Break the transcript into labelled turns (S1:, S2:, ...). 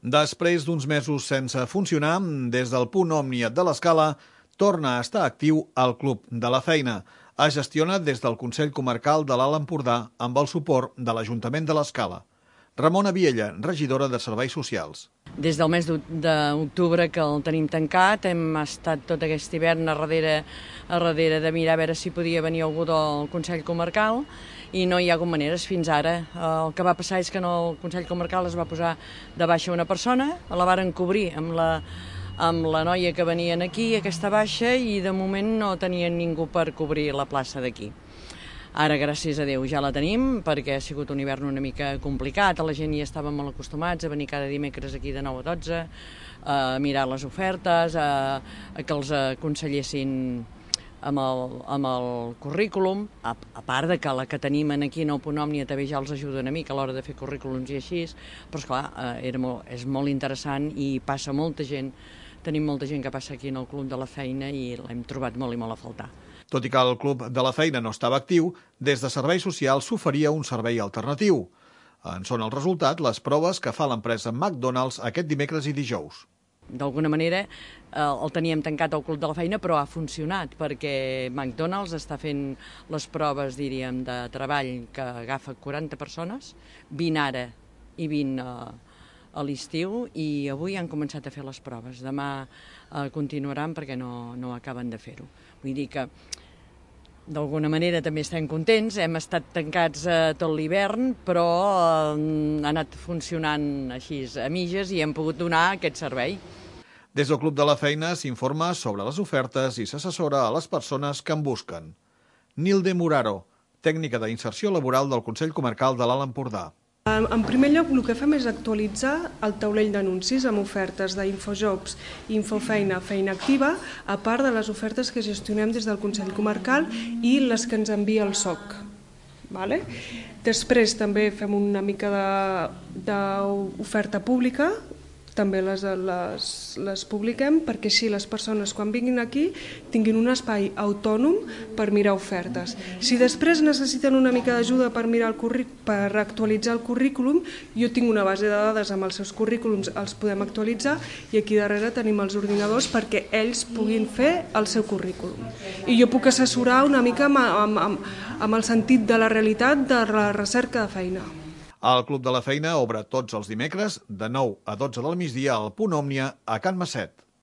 S1: Després d'uns mesos sense funcionar, des del punt Òmnia de l'Escala, torna a estar actiu el Club de la Feina. Es gestiona des del Consell Comarcal de l'Alt Empordà amb el suport de l'Ajuntament de l'Escala. Ramona Viella, regidora de Serveis Socials.
S2: Des del mes d'octubre que el tenim tancat, hem estat tot aquest hivern a darrere de mirar a veure si podia venir algú del Consell Comarcal i no hi ha hagut maneres fins ara. El que va passar és que en el Consell Comarcal es va posar de baixa una persona, la varen cobrir amb la noia que venien aquí, aquesta baixa, i de moment no tenien ningú per cobrir la plaça d'aquí. Ara, gràcies a Déu, ja la tenim, perquè ha sigut un hivern una mica complicat, la gent hi estava molt acostumats a venir cada dimecres aquí de 9 a 12, a mirar les ofertes, a que els aconsellessin amb el currículum, a part de que la que tenim aquí en el punt Òmnia també ja els ajuda una mica a l'hora de fer currículums i així, però esclar, és molt interessant i passa molta gent, tenim molta gent que passa aquí en el Club de la Feina i l'hem trobat molt i molt a faltar.
S1: Tot i que el Club de la Feina no estava actiu, des de Serveis Socials s'oferia un servei alternatiu. En són el resultat les proves que fa l'empresa McDonald's aquest dimecres i dijous.
S2: D'alguna manera el teníem tancat al Club de la Feina, però ha funcionat perquè McDonald's està fent les proves, diríem, de treball que agafa 40 persones, 20 ara i 20 a l'estiu, i avui han començat a fer les proves. Demà continuaran perquè no acaben de fer-ho. Vull dir que d'alguna manera també estem contents, hem estat tancats tot l'hivern, però ha anat funcionant així a mitges i hem pogut donar aquest servei.
S1: Des del Club de la Feina s'informa sobre les ofertes i s'assessora a les persones que en busquen. Nilde Muraro, tècnica d'inserció laboral del Consell Comarcal de l'Alt Empordà.
S3: En primer lloc, el que fem és actualitzar el taulell d'anuncis amb ofertes d'Infojobs, Infofeina, Feina Activa, a part de les ofertes que gestionem des del Consell Comarcal i les que ens envia el SOC. Després també fem una mica d'oferta pública, també les publiquem perquè així les persones quan vinguin aquí tinguin un espai autònom per mirar ofertes. Si després necessiten una mica d'ajuda per actualitzar el currículum, jo tinc una base de dades amb els seus currículums, els podem actualitzar i aquí darrere tenim els ordinadors perquè ells puguin fer el seu currículum. I jo puc assessorar una mica amb el sentit de la realitat de la recerca de feina.
S1: El Club de la Feina obre tots els dimecres de 9 a 12 del migdia al punt Òmnia a Can Masset.